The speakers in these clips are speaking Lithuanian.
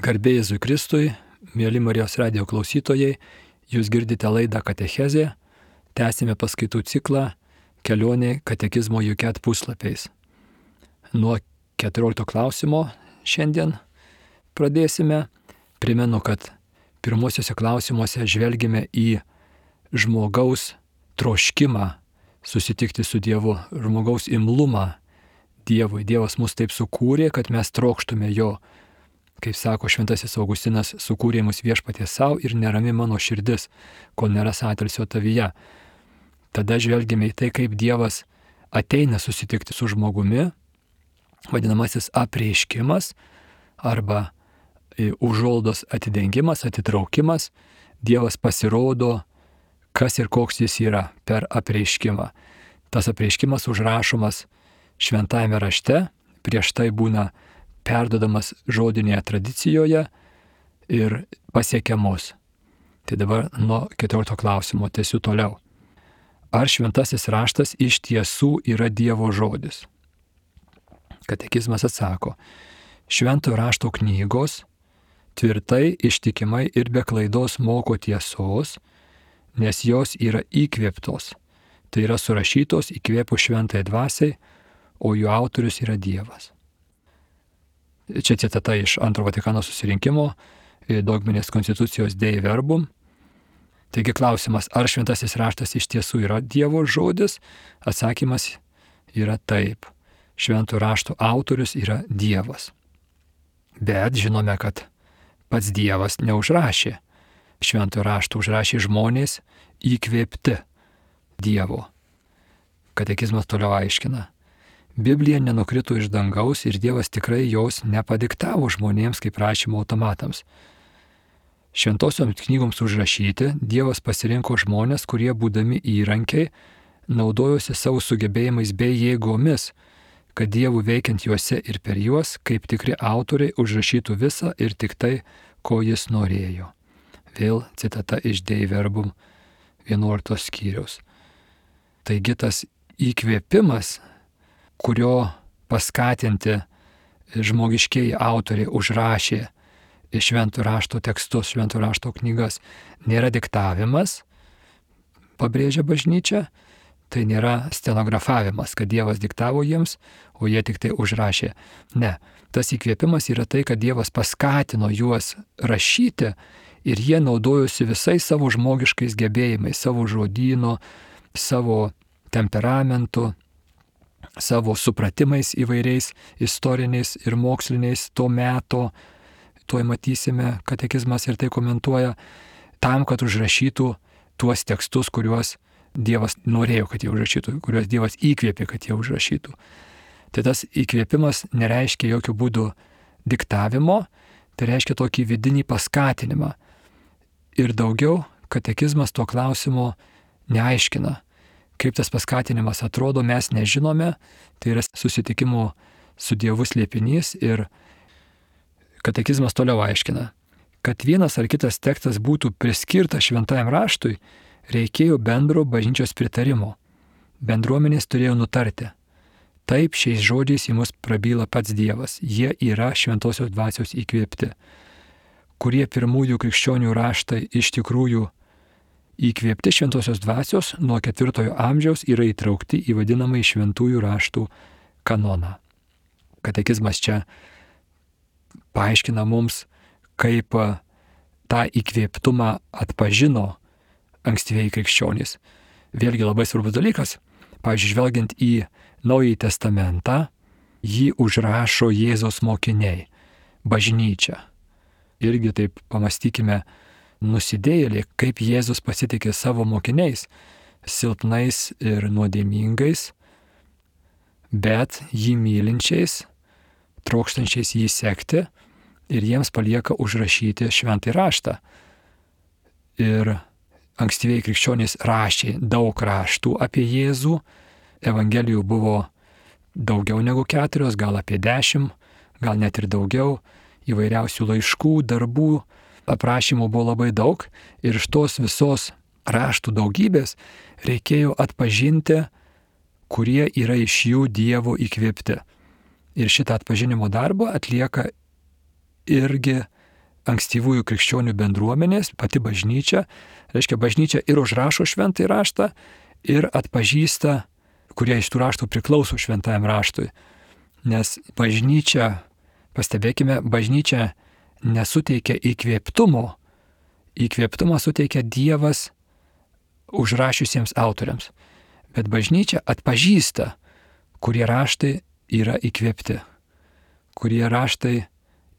Garbė Jėzui Kristui, mėly Marijos radijo klausytojai, jūs girdite laidą Katechezė, tęsime paskaitų ciklą Kelionė katekizmo Juket puslapiais. Nuo 14 klausimo šiandien pradėsime. Primenu, kad pirmosiuose klausimuose žvelgime į žmogaus troškimą susitikti su Dievu, žmogaus imlumą Dievui. Dievas mus taip sukūrė, kad mes trokštume jo. Kaip sako šventasis Augustinas, sukūrė mus viešpaties savo ir nerami mano širdis, kol neras atilsio tavyje. Tada žvelgime į tai, kaip Dievas ateina susitikti su žmogumi, vadinamasis apreiškimas arba užuolaidos atidengimas, atitraukimas. Dievas pasirodo, kas ir koks jis yra per apreiškimą. Tas apreiškimas užrašomas šventajame rašte, prieš tai būna perdodamas žodinėje tradicijoje ir pasiekiamus. Tai dabar nuo 14 klausimo tęsiu toliau. Ar šventasis raštas iš tiesų yra Dievo žodis? Katekizmas atsako, šventojo rašto knygos tvirtai, ištikimai ir be klaidos moko tiesos, nes jos yra įkvėptos. Tai yra surašytos įkvėpus šventai dvasiai, o jų autorius yra Dievas. Čia citata iš Antro Vatikano susirinkimo, dogminės konstitucijos Dei Verbum. Taigi klausimas, ar šventasis raštas iš tiesų yra Dievo žodis? Atsakymas yra taip. Šventų raštų autorius yra Dievas. Bet žinome, kad pats Dievas neužrašė. Šventų raštų užrašė žmonės įkvėpti Dievo. Katekizmas toliau aiškina. Biblija nenukrito iš dangaus ir Dievas tikrai jos nepadiktavo žmonėms kaip rašymo automatams. Šventosioms knygoms užrašyti Dievas pasirinko žmonės, kurie būdami įrankiai naudojosi savo sugebėjimais bei jėgomis, kad Dievų veikiant juose ir per juos, kaip tikri autoriai, užrašytų visą ir tik tai, ko jis norėjo. Vėl citata iš Dei Verbum 11 skyriaus. Taigi tas įkvėpimas, kurio paskatinti žmogiškieji autoriai užrašė šventų rašto tekstus, šventų rašto knygas, nėra diktavimas, pabrėžia bažnyčia, tai nėra stenografavimas, kad Dievas diktavo jiems, o jie tik tai užrašė. Ne, tas įkvėpimas yra tai, kad Dievas paskatino juos rašyti ir jie naudojosi visais savo žmogiškais gebėjimais, savo žodyno, savo temperamentu, savo supratimais įvairiais istoriniais ir moksliniais to meto, tuoj matysime, katekizmas ir tai komentuoja, tam, kad užrašytų tuos tekstus, kuriuos Dievas norėjo, kad jie užrašytų, kuriuos Dievas įkvėpė, kad jie užrašytų. Tai tas įkvėpimas nereiškia jokių būdų diktavimo, tai reiškia tokį vidinį paskatinimą. Ir daugiau katekizmas to klausimo neaiškina. Kaip tas paskatinimas atrodo, mes nežinome, tai yra susitikimo su Dievu slėpinys ir katekizmas toliau aiškina, kad vienas ar kitas tekstas būtų priskirtas šventajam raštui, reikėjo bendro bažnyčios pritarimo. Bendruomenės turėjo nutarti. Taip šiais žodžiais į mus prabyla pats Dievas, jie yra šventosios dvasios įkvėpti. Kurie pirmųjų krikščionių raštai iš tikrųjų įkvėpti šventosios dvasios nuo 4 amžiaus yra įtraukti į vadinamąjį šventųjų raštų kanoną. Katekizmas čia paaiškina mums, kaip tą įkvėptumą atpažino ankstyvieji krikščionys. Vėlgi labai svarbus dalykas. Pavyzdžiui, žvelgiant į Naująjį testamentą, jį užrašo Jėzaus mokiniai, bažnyčia. Irgi taip pamastykime, nusidėjėliai, kaip Jėzus pasitikė savo mokiniais, silpnais ir nuodėmingais, bet jį mylinčiais, trokštančiais jį sekti ir jiems palieka užrašyti šventąjį raštą. Ir ankstyviai krikščionys rašė daug raštų apie Jėzų, evangelijų buvo daugiau negu 4, gal apie 10, gal net ir daugiau, įvairiausių laiškų, darbų, aprašymų buvo labai daug ir iš tos visos raštų daugybės reikėjo atpažinti, kurie yra iš jų Dievo įkvėpti. Ir šitą atpažinimo darbą atlieka irgi ankstyvųjų krikščionių bendruomenės, pati bažnyčia, reiškia bažnyčia ir užrašo šventąjį raštą, ir atpažįsta, kurie iš tų raštų priklauso šventajam raštui. Nes bažnyčia, pastebėkime, bažnyčia nesuteikia įkvėptumo. Įkvėptumą suteikia Dievas užrašiusiems autoriams. Bet bažnyčia atpažįsta, kurie raštai yra įkvėpti, kurie raštai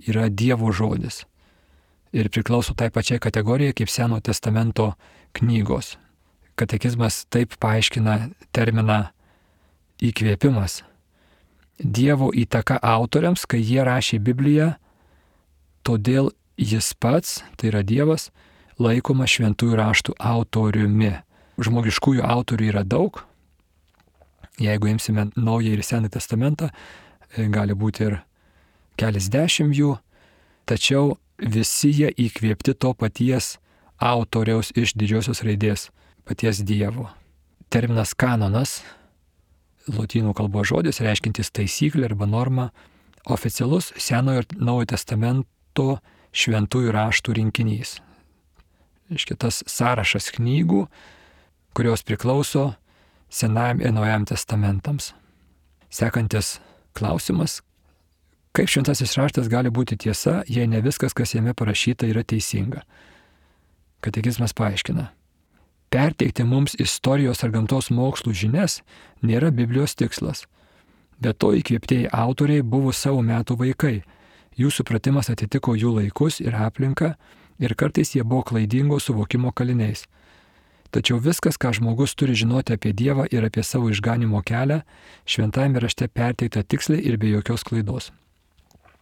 yra Dievo žodis. Ir priklauso tai pačiai kategorijai kaip Senojo testamento knygos. Katekizmas taip paaiškina terminą įkvėpimas. Dievo įtaka autoriams, kai jie rašė Bibliją, todėl jis pats, tai yra Dievas, laikomas šventųjų raštų autoriumi. Žmogiškųjų autorių yra daug. Jeigu imsime Naująjį ir Senąjį testamentą, gali būti ir keliasdešimt jų, tačiau visi jie įkvėpti to paties autoriaus iš didžiosios raidės, paties Dievo. Terminas kanonas, lotynų kalbos žodis, reiškintis taisyklę arba normą, oficialus Senojo ir Naujojo testamento šventųjų raštų rinkinys. Reiškia tas sąrašas knygų, kurios priklauso Senajam ir Naujajam testamentams. Sekantis klausimas. Kaip šventasis raštas gali būti tiesa, jei ne viskas, kas jame parašyta, yra teisinga? Katekizmas paaiškina. Perteikti mums istorijos ar gamtos mokslų žinias nėra Biblijos tikslas. Be to įkvėptieji autoriai buvo savo metų vaikai. Jų supratimas atitiko jų laikus ir aplinką ir kartais jie buvo klaidingo suvokimo kaliniais. Tačiau viskas, ką žmogus turi žinoti apie Dievą ir apie savo išganimo kelią, šventajame rašte perteikta tiksliai ir be jokios klaidos.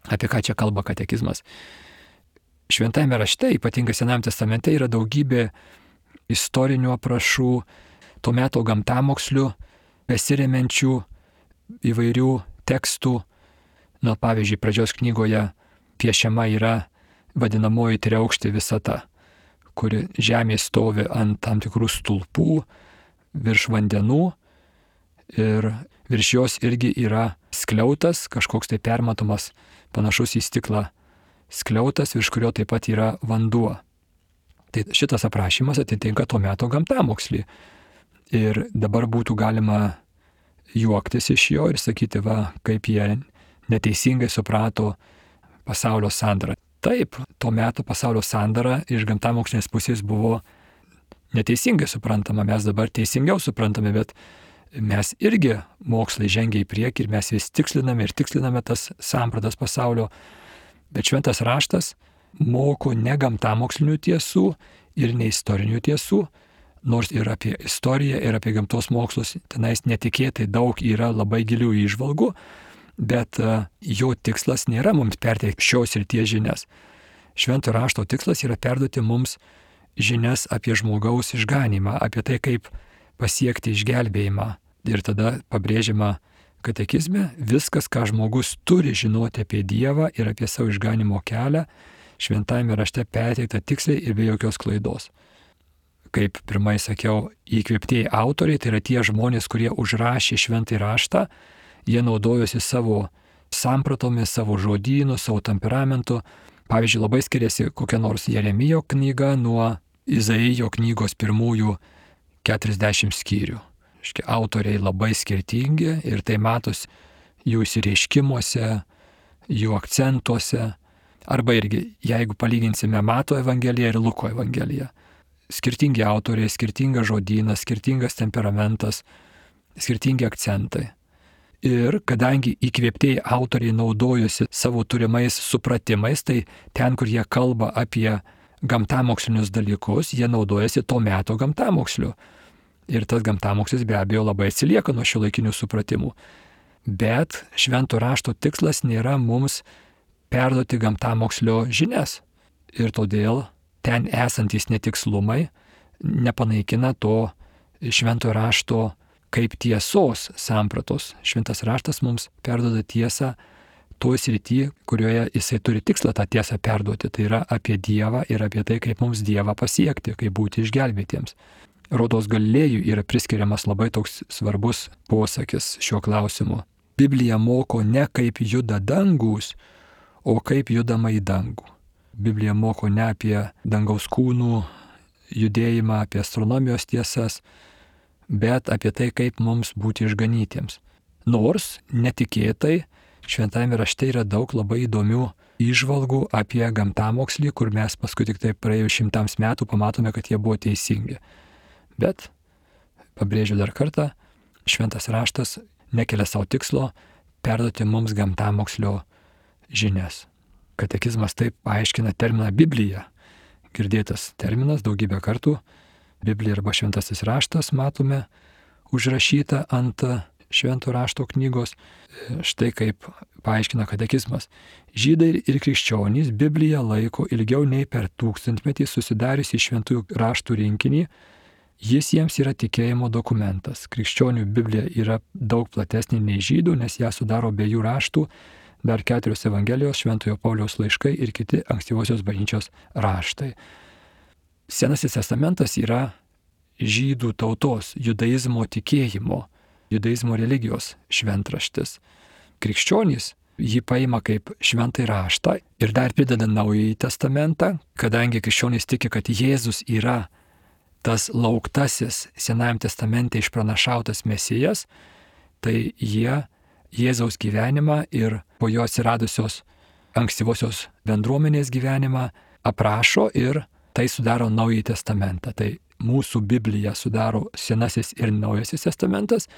Apie ką čia kalba katekizmas? Šventajame rašte, ypatingai Senajame testamente, yra daugybė istorinių aprašų, to meto gamtamokslių, besiremiančių įvairių tekstų. Pavyzdžiui, pradžios knygoje piešiama yra vadinamoji triaukštė visata, kuri žemė stovi ant tam tikrų stulpų virš vandenų ir virš jos irgi yra skliautas, kažkoks tai permatomas, panašus į stiklą skliautas, virš kurio taip pat yra vanduo. Tai šitas aprašymas atitinka to meto gamtamokslį. Ir dabar būtų galima juoktis iš jo ir sakyti, va, kaip jie neteisingai suprato pasaulio sandarą. Taip, to meto pasaulio sandara iš gamtamokslinės pusės buvo neteisingai suprantama, mes dabar teisingiau suprantame, bet mes irgi mokslai žengia į priekį ir mes vis tiksliname tas sampratas pasaulio. Bet šventas raštas moko ne gamtamokslinių tiesų ir ne istorinių tiesų, nors ir apie istoriją, ir apie gamtos mokslus tenais netikėtai daug yra labai gilių įžvalgų, bet jo tikslas nėra mums perteikti šios ir tie žinias. Švento rašto tikslas yra perduoti mums žinias apie žmogaus išganymą, apie tai, kaip pasiekti išgelbėjimą. Ir tada pabrėžiama katekizme, viskas, ką žmogus turi žinoti apie Dievą ir apie savo išganimo kelią, šventajame rašte perteikta tiksliai ir be jokios klaidos. Kaip pirmai sakiau, įkvėptieji autoriai, tai yra tie žmonės, kurie užrašė šventąjį raštą, jie naudojosi savo sampratomis, savo žodynu, savo temperamentu. Pavyzdžiui, labai skiriasi kokia nors Jeremijo knyga nuo Izaijo knygos pirmųjų 40 skyrių. Autoriai labai skirtingi ir tai matos jų išsireiškimuose, jų akcentuose. Arba irgi, jeigu palyginsime Mato Evangeliją ir Luko Evangeliją. Skirtingi autoriai, skirtingas žodynas, skirtingas temperamentas, skirtingi akcentai. Ir kadangi įkvėptieji autoriai naudojosi savo turimais supratimais, tai ten, kur jie kalba apie gamtamokslinius dalykus, jie naudojasi to meto gamtamoksliu. Ir tas gamtamokslis be abejo labai atsilieka nuo šiuolaikinių supratimų. Bet švento rašto tikslas nėra mums perduoti gamtamokslio žinias. Ir todėl ten esantys netikslumai nepanaikina to švento rašto kaip tiesos sampratos. Šventas raštas mums perduoda tiesą toj srity, kurioje jisai turi tikslą tą tiesą perduoti. Tai yra apie Dievą ir apie tai, kaip mums Dievą pasiekti, kaip būti išgelbėtiems. Rodos Galilėjui yra priskiriamas labai toks svarbus posakis šiuo klausimu. Biblija moko ne kaip juda dangus, o kaip judama į dangų. Biblija moko ne apie dangaus kūnų judėjimą, apie astronomijos tiesas, bet apie tai, kaip mums būti išganytiems. Nors netikėtai šventajame rašte yra daug labai įdomių įžvalgų apie gamtamokslį, kur mes paskui tik tai praėjus 100 metų pamatome, kad jie buvo teisingi. Bet, pabrėžiu dar kartą, šventas raštas nekelia savo tikslo perduoti mums gamtamokslio žinias. Katekizmas taip paaiškina terminą Biblija. Girdėtas terminas daugybę kartų. Biblija arba šventasis raštas matome užrašyta ant švento rašto knygos. Štai kaip paaiškina katekizmas. Žydai ir krikščionys Bibliją laiko ilgiau nei per 1000-metį susidariusi šventųjų raštų rinkinį. Jis jiems yra tikėjimo dokumentas. Krikščionių Biblija yra daug platesnė nei žydų, nes ją sudaro abiejų raštų, dar 4 Evangelijos, Šventojo Pauliaus laiškai ir kiti ankstyvosios bažnyčios raštai. Senasis testamentas yra žydų tautos, judaizmo tikėjimo, judaizmo religijos šventraštis. Krikščionys jį paima kaip šventąjį raštą ir dar prideda Naująjį testamentą, kadangi krikščionys tiki, kad Jėzus yra tas lauktasis Senajam testamente išpranašautas Mesijas, tai jie Jėzaus gyvenimą ir po jo atsiradusios ankstyvosios bendruomenės gyvenimą aprašo ir tai sudaro Naująjį testamentą. Tai mūsų Biblija sudaro Senasis ir Naujasis testamentas,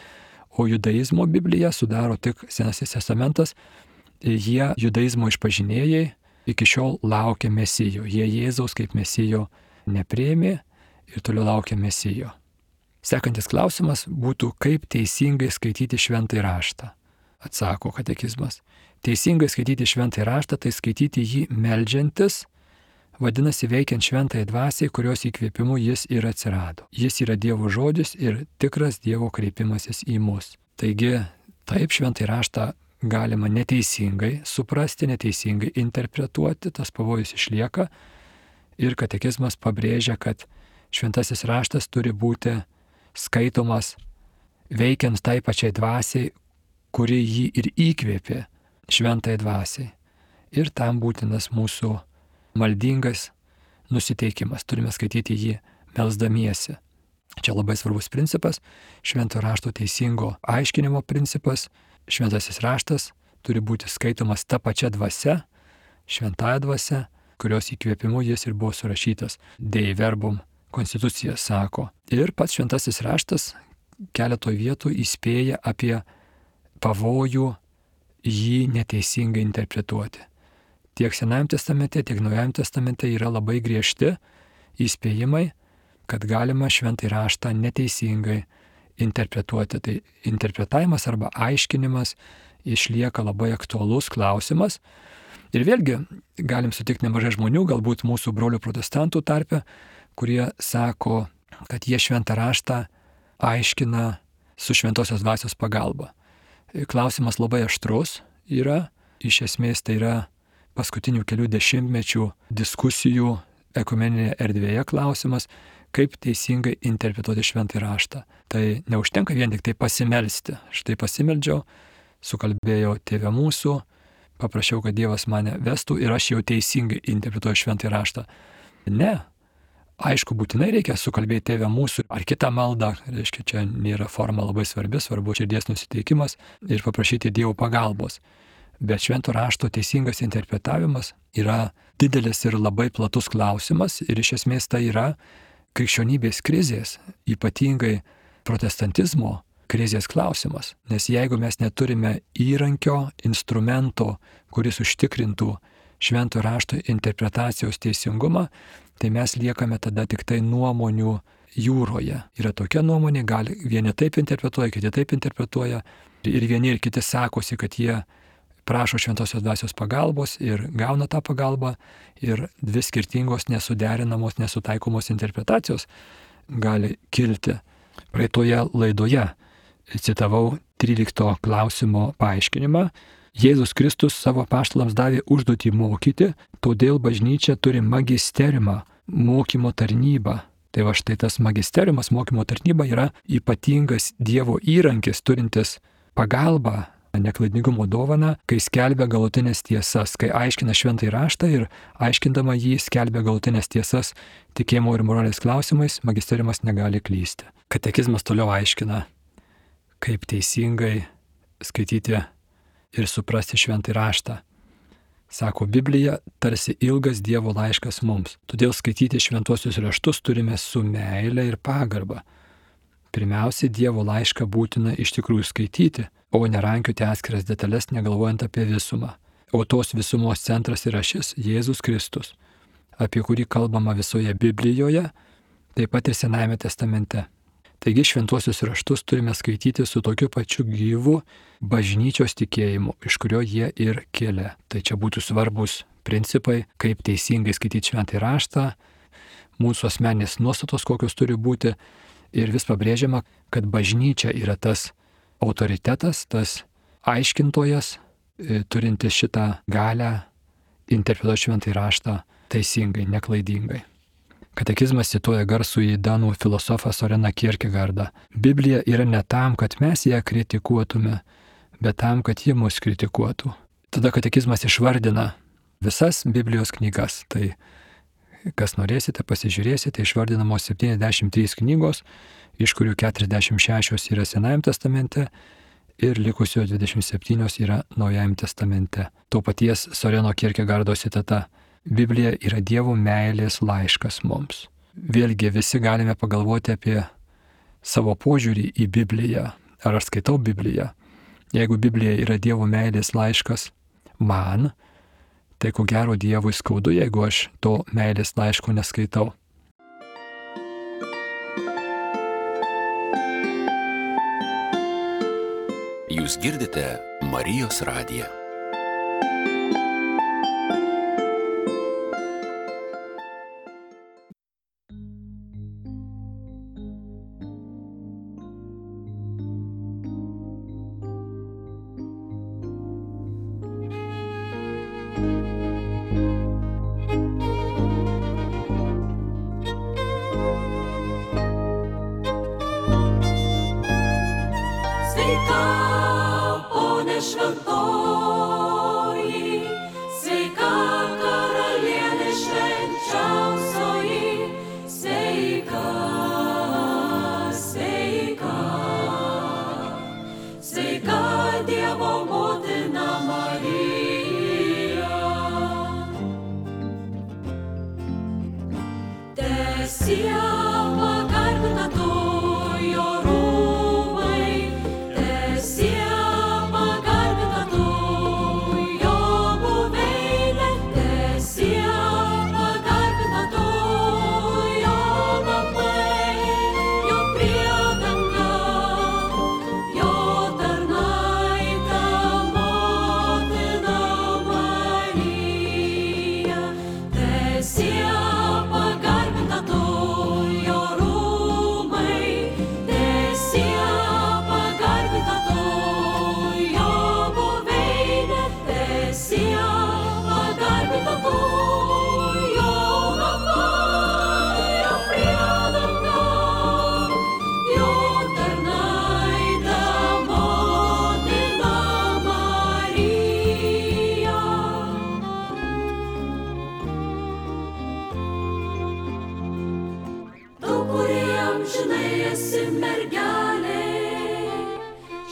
o judaizmo Biblija sudaro tik Senasis testamentas. Jie judaizmo išpažinėjai iki šiol laukia Mesijo. Jie Jėzaus kaip Mesijo nepriėmė ir toliau laukia Mesijo. Sekantis klausimas būtų, kaip teisingai skaityti šventąjį raštą. Atsako katekizmas. Teisingai skaityti šventąjį raštą, tai skaityti jį meldžiantis, vadinasi veikiant šventąjį dvasiai, kurios įkvėpimu jis ir atsirado. Jis yra Dievo žodis ir tikras Dievo kreipimasis į mus. Taigi, taip šventąjį raštą galima neteisingai suprasti, neteisingai interpretuoti, tas pavojus išlieka ir katekizmas pabrėžia, kad šventasis raštas turi būti skaitomas veikiant tai pačiai dvasiai, kuri jį ir įkvėpė šventai dvasiai. Ir tam būtinas mūsų maldingas nusiteikimas. Turime skaityti jį melsdamiesi. Čia labai svarbus principas, švento rašto teisingo aiškinimo principas. Šventasis raštas turi būti skaitomas ta pačia dvasia, šventąja dvasia, kurios įkvėpimu jis ir buvo surašytas. Dei verbum konstitucija sako. Ir pats šventasis raštas keletoje vietų įspėja apie pavojų jį neteisingai interpretuoti. Tiek Senajam testamente, tiek Naujajam testamente yra labai griežti įspėjimai, kad galima šventąjį raštą neteisingai interpretuoti. Tai interpretavimas arba aiškinimas išlieka labai aktualus klausimas. Ir vėlgi galim sutikti nemažai žmonių, galbūt mūsų brolių protestantų tarpe, kurie sako, kad jie šventą raštą aiškina su šventosios dvasios pagalba. Klausimas labai aštrus yra, iš esmės tai yra paskutinių kelių dešimtmečių diskusijų ekumeninėje erdvėje klausimas, kaip teisingai interpretuoti šventąjį raštą. Tai neužtenka vien tik tai pasimelsti. Štai pasimeldžiau, sukalbėjau Tėve mūsų, paprašiau, kad Dievas mane vestų ir aš jau teisingai interpretuoju šventąjį raštą. Ne. Aišku, būtinai reikia sukalbėti Tėve mūsų ar kitą maldą, reiškia, čia nėra forma labai svarbi, svarbu širdies nusiteikimas ir paprašyti Dievo pagalbos. Bet švento rašto teisingas interpretavimas yra didelis ir labai platus klausimas ir iš esmės tai yra krikščionybės krizės, ypatingai protestantizmo krizės klausimas. Nes jeigu mes neturime įrankio, instrumento, kuris užtikrintų švento rašto interpretacijos teisingumą, tai mes liekame tada tik tai nuomonių jūroje. Yra tokia nuomonė, gali vieni taip interpretuoja, kiti taip interpretuoja ir vieni ir kiti sakosi, kad jie prašo šventosios dvasios pagalbos ir gauna tą pagalbą ir dvi skirtingos nesuderinamos, nesutaikomos interpretacijos gali kilti. Praeitoje laidoje citavau 13 klausimo paaiškinimą. Jėzus Kristus savo apaštalams davė užduotį mokyti, todėl bažnyčia turi magisteriumą, mokymo tarnybą. Tai va štai tas magisteriumas, mokymo tarnyba yra ypatingas Dievo įrankis, turintis pagalbą neklaidingumo dovaną, kai skelbia galutinės tiesas, kai aiškina šventąjį raštą ir aiškindama jį skelbia galutinės tiesas tikėjimo ir moralės klausimais, magisteriumas negali klysti. Katekizmas toliau aiškina, kaip teisingai skaityti ir suprasti šventąjį raštą. Sako, Biblija tarsi ilgas Dievo laiškas mums, todėl skaityti šventuosius raštus turime su meile ir pagarba. Pirmiausia, Dievo laišką būtina iš tikrųjų skaityti, o nerankioti atskiras detalės, negalvojant apie visumą. O tos visumos centras yra šis Jėzus Kristus, apie kurį kalbama visoje Biblijoje, taip pat ir Senajame testamente. Taigi šventuosius raštus turime skaityti su tokiu pačiu gyvu bažnyčios tikėjimu, iš kurio jie ir kilę. Tai čia būtų svarbus principai, kaip teisingai skaityti šventąjį raštą, mūsų asmeninės nuostatos, kokios turi būti. Ir vis pabrėžiama, kad bažnyčia yra tas autoritetas, tas aiškintojas, turintis šitą galią interpretuoti šventąjį raštą teisingai, neklaidingai. Katekizmas cituoja garsųjį danų filosofą Soreną Kierkegaardą. Biblija yra ne tam, kad mes ją kritikuotume, bet tam, kad ji mus kritikuotų. Tada katekizmas išvardina visas Biblijos knygas. Tai kas norėsite, pasižiūrėsite, išvardinamos 73 knygos, iš kurių 46 yra Senajame testamente ir likusios 27 yra Naujajame testamente. To paties Soreno Kierkegaardo citata. Biblija yra Dievo meilės laiškas mums. Vėlgi visi galime pagalvoti apie savo požiūrį į Bibliją. Ar aš skaitau Bibliją? Jeigu Biblija yra Dievo meilės laiškas man, tai ko gero Dievui skaudu, jeigu aš to meilės laiško neskaitau. Jūs girdite Marijos radiją.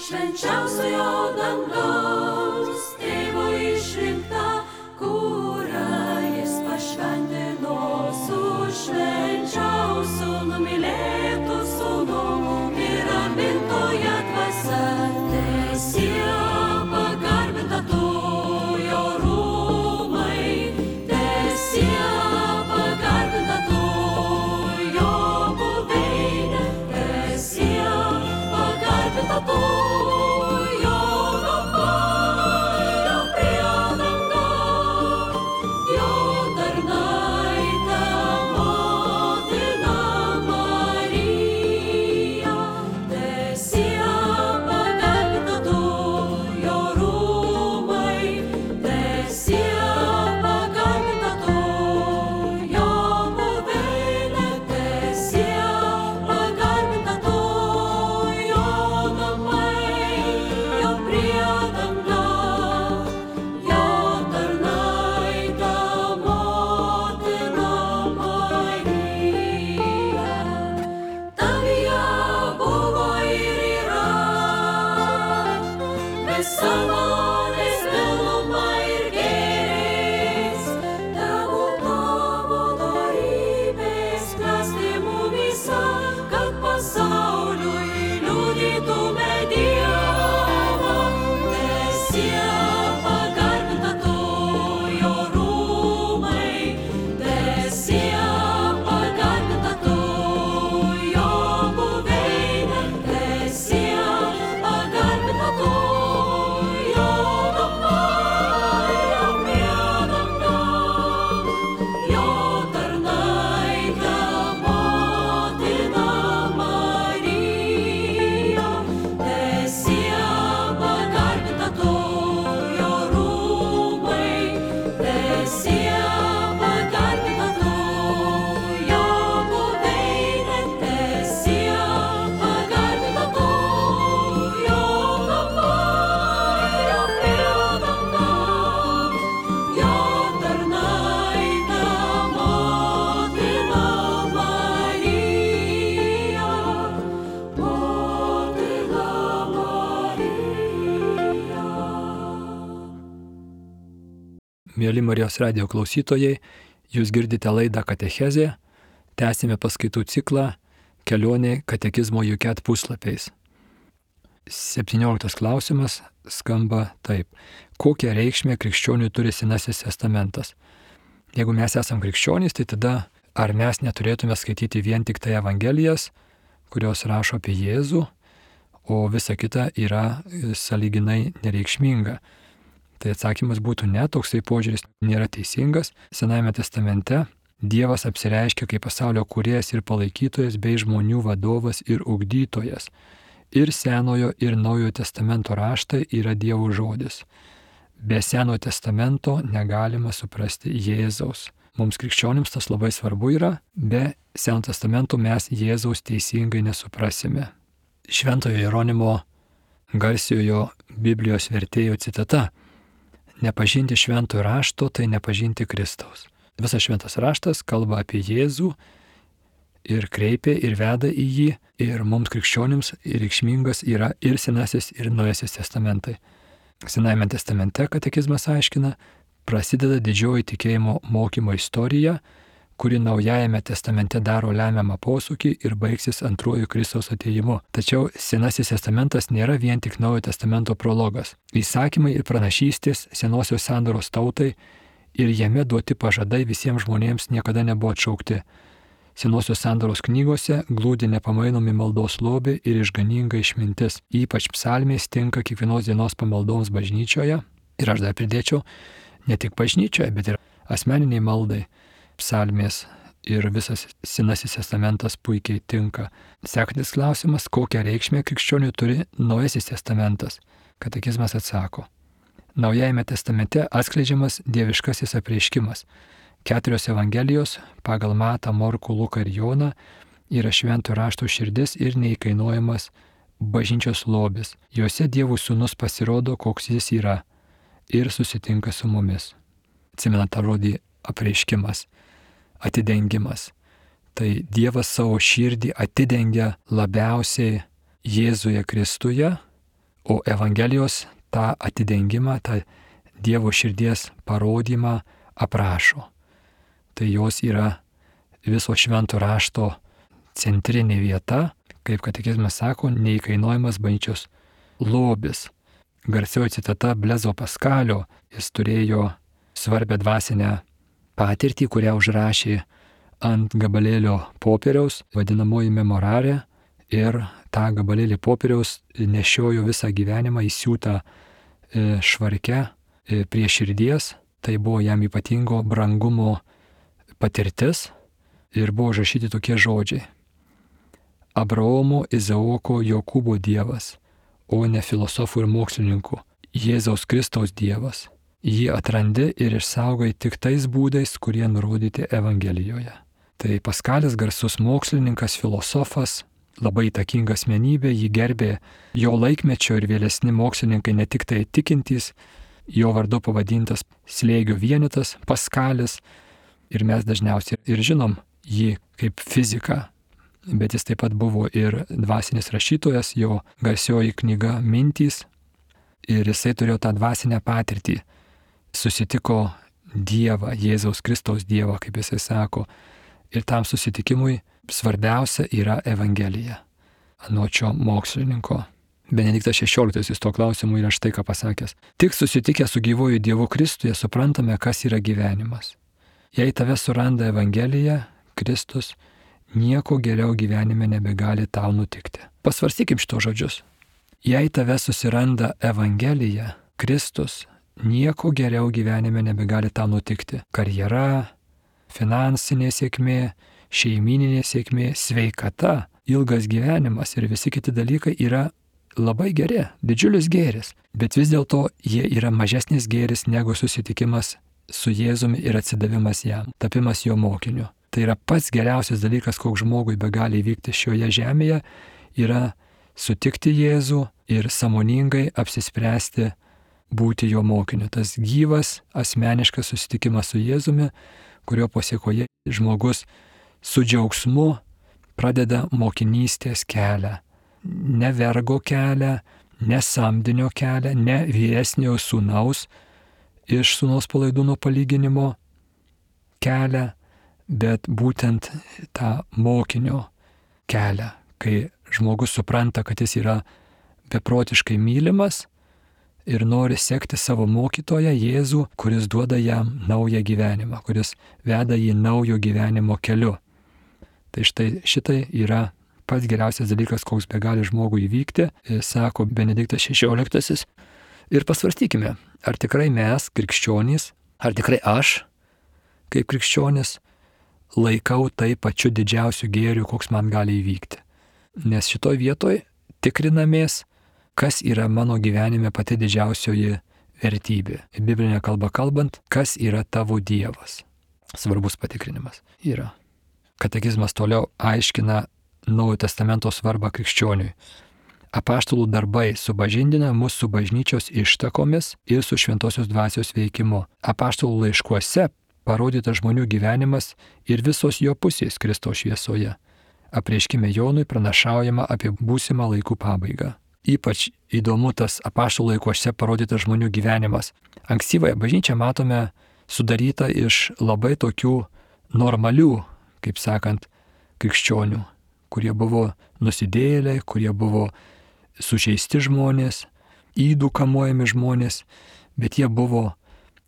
Švenčiausiojo dangaus tėvo išrinkta, kurią jis pašventino su švenčiausiu numylėtu sūnų ir amintoje dvasia. Teesie pagarbinta tu jo rūmai, teesie pagarbinta tu jo buveinė, teesie pagarbinta tu jo namai. Mėly Marijos radijo klausytojai, jūs girdite laidą Katechezė, tęsime paskaitų ciklą Kelionė katekizmo Juket puslapiais. 17 klausimas skamba taip. Kokią reikšmę krikščioniui turi Senasis testamentas? Jeigu mes esam krikščionys, tai tada ar mes neturėtume skaityti vien tik tai Evangelijas, kurios rašo apie Jėzų, o visa kita yra sąlyginai nereikšminga? Tai atsakymas būtų ne, toksai požiūris nėra teisingas. Senajame testamente Dievas apsireiškia kaip pasaulio kūrėjas ir palaikytojas bei žmonių vadovas ir ugdytojas. Ir Senojo ir Naujojo testamento raštai yra Dievo žodis. Be Senojo testamento negalima suprasti Jėzaus. Mums krikščionims tas labai svarbu yra, be Senojo testamento mes Jėzaus teisingai nesuprasime. Šventojo Jeronimo garsiojo Biblijos vertėjo citata: nepažinti šventojo rašto, tai nepažinti Kristaus. Visas šventas raštas kalba apie Jėzų ir kreipia ir veda į jį, ir mums krikščionims reikšmingas yra ir Senasis, ir Naujasis testamentai. Senajame testamente katekizmas aiškina, prasideda didžioji tikėjimo mokymo istorija, kuri Naujajame testamente daro lemiamą posūkį ir baigsis antruoju Kristaus atėjimu. Tačiau Senasis testamentas nėra vien tik Naujojo testamento prologas. Įsakymai ir pranašystės senosios sandoros tautai ir jame duoti pažadai visiems žmonėms niekada nebuvo atšaukti. Senosios sandoros knygose glūdi nepamainomi maldos lobiai ir išganinga išmintis. Ypač psalmės tinka kiekvienos dienos pamaldoms bažnyčioje. Ir aš dar pridėčiau, ne tik bažnyčioje, bet ir asmeniniai maldai. Psalmės ir visas Senasis testamentas puikiai tinka. Sekantis klausimas, kokią reikšmę krikščioniui turi Naujasis testamentas? Katekizmas atsako. Naujajame testamente atskleidžiamas dieviškasis apreiškimas. 4 Evangelijos pagal Matą, Morkų, Luką ir Joną yra šventojo rašto širdis ir neįkainojamas bažnyčios lobis. Juose Dievo sūnus pasirodo, koks jis yra, ir susitinka su mumis. Atsimenat tą žodį apreiškimas, atidengimas. Tai Dievas savo širdį atidengia labiausiai Jėzuje Kristuje, o Evangelijos tą atidengimą, tą Dievo širdies parodymą aprašo. Tai jos yra viso švento rašto centrinė vieta, kaip katekizmas sako, neįkainojamas bažnyčios lobis. Garsioji citata Blezo Paskalio, jis turėjo svarbią dvasinę patirtį, kurią užrašė ant gabalėlio popieriaus, vadinamoji memorarė, ir tą gabalėlį popieriaus nešiojo visą gyvenimą įsiūtą švarke prie širdies. Tai buvo jam ypatingo brangumo patirtis ir buvo užrašyti tokie žodžiai: Abraomo, Izaoko, Jokūbo Dievas, o ne filosofų ir mokslininkų, Jėzaus Kristaus Dievas. Jį atrandi ir išsaugai tik tais būdais, kurie nurodyti Evangelijoje. Tai Paskalis, garsus mokslininkas, filosofas, labai įtakinga asmenybė, jį gerbė jo laikmečio ir vėlesni mokslininkai, ne tik tai tikintys, jo vardu pavadintas slėgio vienetas Paskalis, ir mes dažniausiai ir žinom jį kaip fiziką, bet jis taip pat buvo ir dvasinis rašytojas, jo garsioji knyga Mintys, ir jisai turėjo tą dvasinę patirtį, susitiko Dievą, Jėzaus Kristaus Dievą, kaip jisai sako, ir tam susitikimui svarbiausia yra Evangelija, anot šio mokslininko. Benediktas XVI to klausimu yra štai ką pasakęs: tik susitikę su gyvuoju Dievu Kristuje suprantame, kas yra gyvenimas. Jei tave suranda Evangelija, Kristus, nieko geriau gyvenime nebegali tau nutikti. Pasvarstykim šito žodžius. Jei tave susiranda Evangelija, Kristus, nieko geriau gyvenime nebegali tau nutikti. Karjera, finansinė sėkmė, šeimininė sėkmė, sveikata, ilgas gyvenimas ir visi kiti dalykai yra labai geri, didžiulis gėris, bet vis dėlto jie yra mažesnis gėris negu susitikimas su Jėzumi ir atsidavimas jam, tapimas jo mokiniu. Tai yra pats geriausias dalykas, koks žmogui begali įvykti šioje žemėje, yra sutikti Jėzų ir sąmoningai apsispręsti būti jo mokiniu. Tas gyvas, asmeniškas susitikimas su Jėzumi, kurio pasiekoje žmogus su džiaugsmu pradeda mokinystės kelią. Ne vergo kelią, ne samdinio kelią, ne vyresniojo sūnaus iš sūnaus palaidūno palyginimo kelią, bet būtent tą mokinio kelią, kai žmogus supranta, kad jis yra beprotiškai mylimas ir nori sekti savo mokytoją Jėzų, kuris duoda jam naują gyvenimą, kuris veda jį naujo gyvenimo keliu. Tai štai šitai yra pats geriausias dalykas, koks be gali žmogui įvykti, sako Benediktas XVI. Ir pasvarstykime, ar tikrai mes, krikščionys, ar tikrai aš, kaip krikščionis, laikau tai pačiu didžiausiu gėriu, koks man gali įvykti. Nes šitoj vietoj tikrinamės, kas yra mano gyvenime pati didžiausioji vertybė. Biblinė kalba kalbant, kas yra tavo Dievas. Svarbus patikrinimas yra. Katekizmas toliau aiškina Naujojo testamento svarbą krikščioniui. Apaštalų darbai supažindina mus su bažnyčios ištakomis ir su šventosios dvasios veikimu. Apaštalų laiškuose parodyta žmonių gyvenimas ir visos jo pusės Kristaus šviesoje. Apreiškime Jonui pranašaujama apie būsimą laikų pabaigą. Ypač įdomu tas apaštalų laiškuose parodytas žmonių gyvenimas. Ankstyvąją bažnyčią matome sudarytą iš labai tokių normalių, kaip sakant, krikščionių, kurie buvo nusidėjėliai, kurie buvo sužeisti žmonės, ydų kamuojami žmonės, bet jie buvo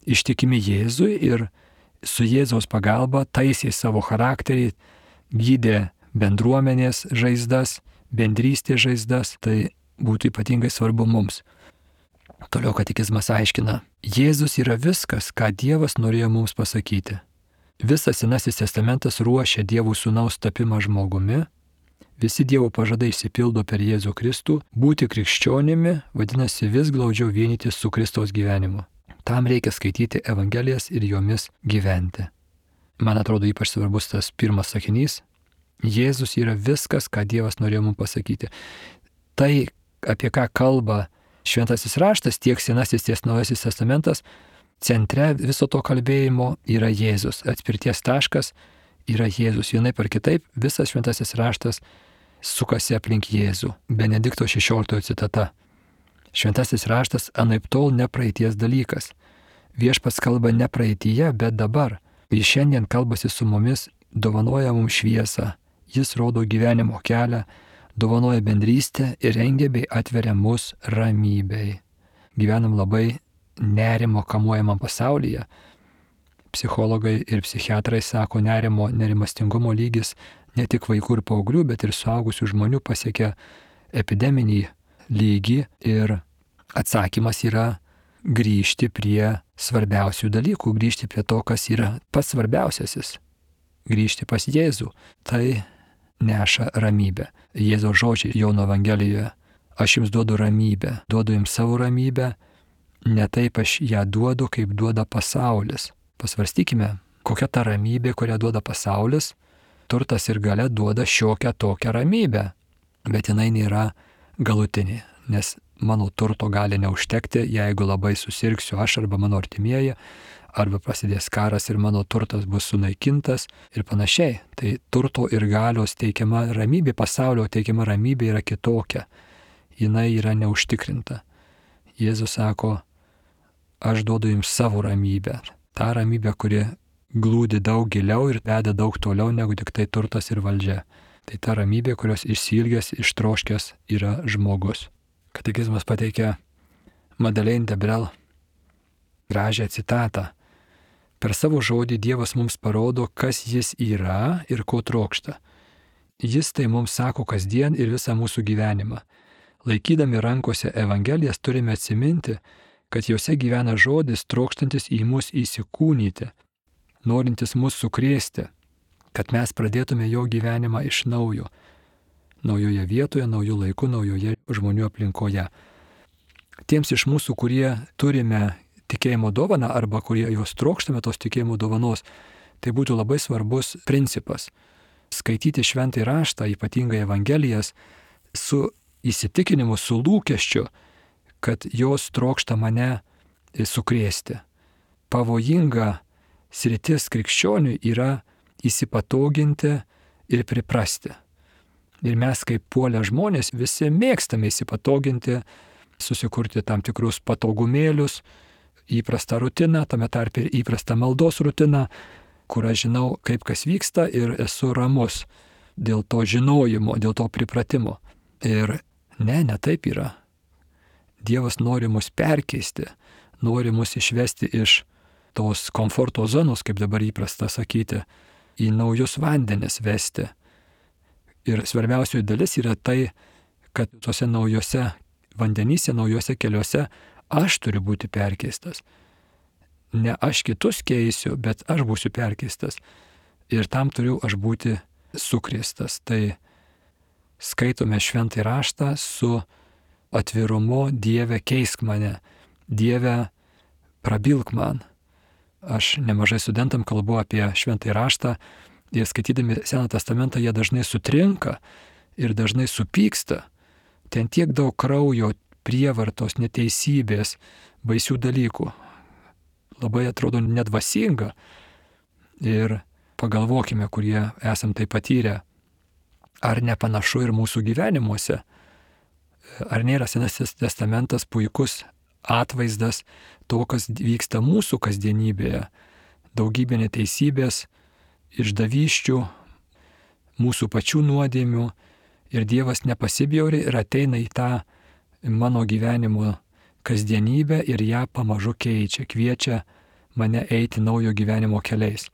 ištikimi Jėzui ir su Jėzaus pagalba taisė savo charakterį, gydė bendruomenės žaizdas, bendrystės žaizdas, tai būtų ypatingai svarbu mums. Toliau katekizmas aiškina, Jėzus yra viskas, ką Dievas norėjo mums pasakyti. Visas Senasis testamentas ruošia Dievo sūnaus tapimą žmogumi, visi Dievo pažadai išsipildo per Jėzų Kristų, būti krikščionimi vadinasi vis glaudžiau vienytis su Kristaus gyvenimu. Tam reikia skaityti Evangelijas ir jomis gyventi. Man atrodo ypač svarbus tas pirmas sakinys. Jėzus yra viskas, ką Dievas norėjo mums pasakyti. Tai, apie ką kalba Šventasis raštas, tiek Senasis, tiek Naujasis testamentas, centre viso to kalbėjimo yra Jėzus. Atspirties taškas yra Jėzus. Vienaip ar kitaip visas Šventasis raštas sukasi aplink Jėzų. Benedikto XVI citata. Šventasis raštas anaiptol ne praeities dalykas. Viešpats kalba ne praeityje, bet dabar. Jis šiandien kalbasi su mumis, dovanoja mums šviesą. Jis rodo gyvenimo kelią, dovanoja bendrystę ir rengia bei atveria mus ramybei. Gyvenam labai nerimo kamuojamam pasaulyje. Psichologai ir psichiatrai sako, nerimastingumo lygis ne tik vaikų ir paauglių, bet ir suaugusių žmonių pasiekia epideminį lygį ir atsakymas yra grįžti prie svarbiausių dalykų, grįžti prie to, kas yra pats svarbiausiasis, grįžti pas Jėzų. Tai neša ramybę. Jėzaus žodžiai Jono Evangelijoje, aš jums duodu ramybę, duodu jums savo ramybę, ne taip aš ją duodu, kaip duoda pasaulis. Pasvarstykime, kokia ta ramybė, kurią duoda pasaulis. Turtas ir galia duoda šiokią tokią ramybę, bet jinai nėra galutinė, nes mano turto gali neužtekti, jeigu labai susirgsiu aš arba mano artimieji, arba prasidės karas ir mano turtas bus sunaikintas ir panašiai. Tai turto ir galios teikiama ramybė, pasaulio teikiama ramybė yra kitokia, jinai yra neužtikrinta. Jėzus sako, aš duodu jums savo ramybę. Ta ramybė, kuri glūdi daug giliau ir veda daug toliau negu tik tai turtas ir valdžia. Tai ta ramybė, kurios išsiilgęs, ištroškęs yra žmogus. Katekizmas pateikia Madeleine de Brel gražią citatą. Per savo žodį Dievas mums parodo, kas jis yra ir ko trokšta. Jis tai mums sako kasdien ir visą mūsų gyvenimą. Laikydami rankose Evangelijas turime atsiminti, kad jose gyvena žodis trokštantis į mus įsikūnyti, norintis mus sukrėsti, kad mes pradėtume jo gyvenimą iš naujo, naujoje vietoje, naujų laikų, naujoje žmonių aplinkoje. Tiems iš mūsų, kurie turime tikėjimo dovaną arba kurie jos trokštame tos tikėjimo dovanos, tai būtų labai svarbus principas. Skaityti šventąjį raštą, ypatingai Evangelijas, su įsitikinimu, su lūkesčiu, kad jos trokšta mane sukrėsti. Pavojinga sritis krikščioniui yra įsipatoginti ir priprasti. Ir mes kaip puolę žmonės visi mėgstame įsipatoginti, susikurti tam tikrus patogumėlius, įprastą rutiną, tame tarpe ir įprastą maldos rutiną, kur aš žinau, kaip kas vyksta ir esu ramus dėl to žinojimo, dėl to pripratimo. Ir ne taip yra. Dievas nori mus perkeisti, nori mus išvesti iš tos komforto zonos, kaip dabar įprasta sakyti, į naujus vandenis vesti. Ir svarbiausioji dalis yra tai, kad tuose naujose vandenyse, naujose keliuose aš turiu būti perkeistas. Ne aš kitus keisiu, bet aš būsiu perkeistas. Ir tam turiu aš būti sukrėstas. Tai skaitome šventąjį raštą su atvirumu: Dieve, keisk mane, Dieve, prabilk man. Aš nemažai studentam kalbu apie šventąjį raštą ir skaitydami Seną testamentą jie dažnai sutrinka ir dažnai supyksta. Ten tiek daug kraujo, prievartos, neteisybės, baisių dalykų. Labai atrodo nedvasinga. Ir pagalvokime, kurie esam tai patyrę, ar nepanašu ir mūsų gyvenimuose. Ar nėra Senasis testamentas puikus atvaizdas to, kas vyksta mūsų kasdienybėje. Daugybė neteisybės, išdavysčių, mūsų pačių nuodėmių. Ir Dievas nepasibjauri ir ateina į tą mano gyvenimo kasdienybę ir ją pamažu keičia, kviečia mane eiti naujo gyvenimo keliais.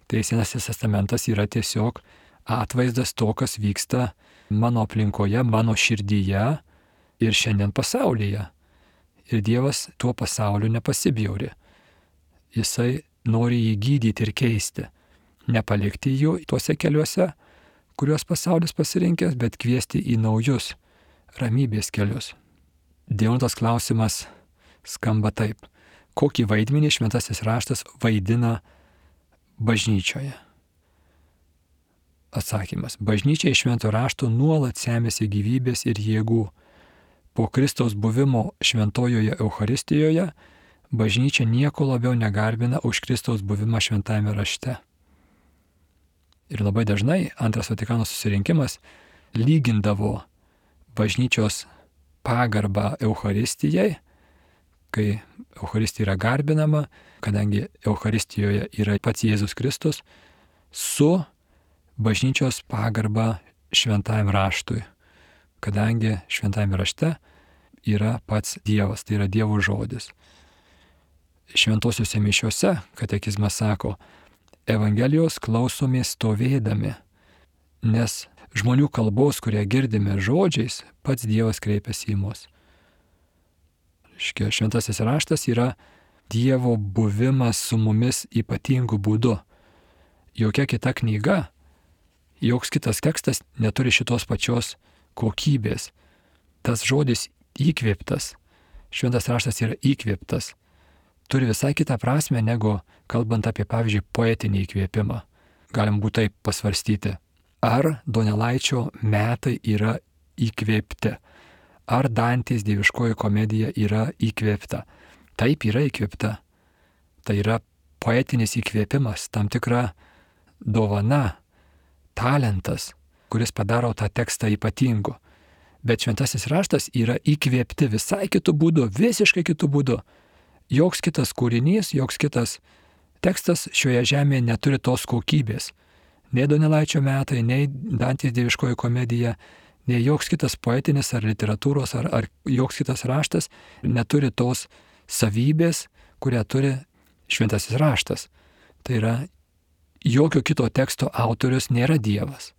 Tai Senasis testamentas yra tiesiog atvaizdas to, kas vyksta mano aplinkoje, mano širdyje ir šiandien pasaulyje. Ir Dievas tuo pasauliu nepasibjauri. Jisai nori jį gydyti ir keisti. Nepalikti jų tuose keliuose, kuriuos pasaulis pasirinkęs, bet kviesti į naujus ramybės kelius. 9 klausimas skamba taip. Kokį vaidmenį šventasis raštas vaidina bažnyčioje? Atsakymas. Bažnyčia iš švento rašto nuolat semėsi gyvybės ir jėgų. Po Kristaus buvimo šventojoje Eucharistijoje bažnyčia nieko labiau negarbina už Kristaus buvimą šventajame rašte. Ir labai dažnai Antras Vatikano susirinkimas lygindavo bažnyčios pagarbą Eucharistijai, kai Eucharistija yra garbinama, kadangi Eucharistijoje yra pats Jėzus Kristus, su bažnyčios pagarba šventajam raštui, kadangi šventajame rašte yra pats Dievas, tai yra Dievo žodis. Šventosiuose mišiuose katekizmas sako: Evangelijos klausomės stovėdami, nes žmonių kalbos, kurią girdime žodžiais, pats Dievas kreipiasi į mus. Šventasis raštas yra Dievo buvimas su mumis ypatingu būdu. Jokia kita knyga, joks kitas tekstas neturi šitos pačios kokybės. Tas žodis įkvėptas, šventas raštas yra įkvėptas, turi visai kitą prasme negu kalbant apie, pavyzdžiui, poetinį įkvėpimą. Galim būtų taip pasvarstyti. Ar Donelaičio metai yra įkvėpti? Ar Dantės dieviškoji komedija yra įkvėpta? Taip, yra įkvėpta. Tai yra poetinis įkvėpimas, tam tikra dovana, talentas, kuris padaro tą tekstą ypatingu. Bet šventasis raštas yra įkvėpti visai kitų būdų, visiškai kitų būdų. Joks kitas kūrinys, joks kitas tekstas šioje žemėje neturi tos kokybės. Nei Donelaičio metai, nei Dantės dieviškoji komedija, nei joks kitas poetinis ar literatūros ar joks kitas raštas neturi tos savybės, kurią turi šventasis raštas. Tai yra, jokio kito teksto autorius nėra Dievas.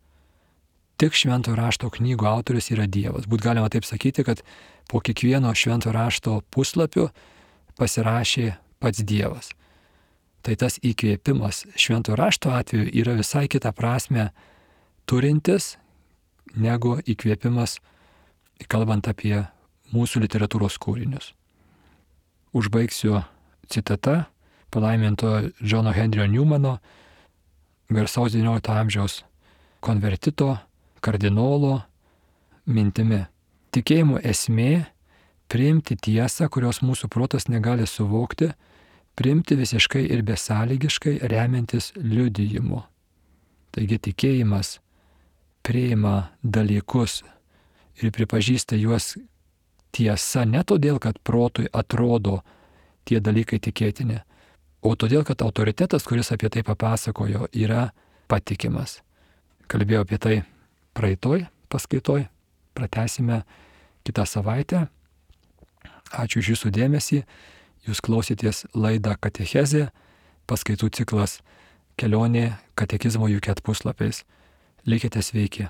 Tik švento rašto knygų autorius yra Dievas. Būt galima taip sakyti, kad po kiekvieno švento rašto puslapiu pasirašė pats Dievas. Tai tas įkvėpimas švento rašto atveju yra visai kitą prasme turintis negu įkvėpimas, kalbant apie mūsų literatūros kūrinius. Užbaigsiu citata palaiminto Džono Henrio Newmano, garsaus XIX amžiaus konvertito, kardinolo mintimi. Tikėjimo esmė — priimti tiesą, kurios mūsų protas negali suvokti, priimti visiškai ir besąlygiškai, remiantis liudijimu. Taigi tikėjimas priima dalykus ir pripažįsta juos tiesa ne todėl, kad protui atrodo, tie dalykai tikėtini. O todėl, kad autoritetas, kuris apie tai papasakojo, yra patikimas. Kalbėjau apie tai praeitoj paskaitoj, pratęsime kitą savaitę. Ačiū už jūsų dėmesį. Jūs klausėtės laidą Katechezė, paskaitų ciklas Kelionė katekizmo UK puslapiais. Likite sveiki.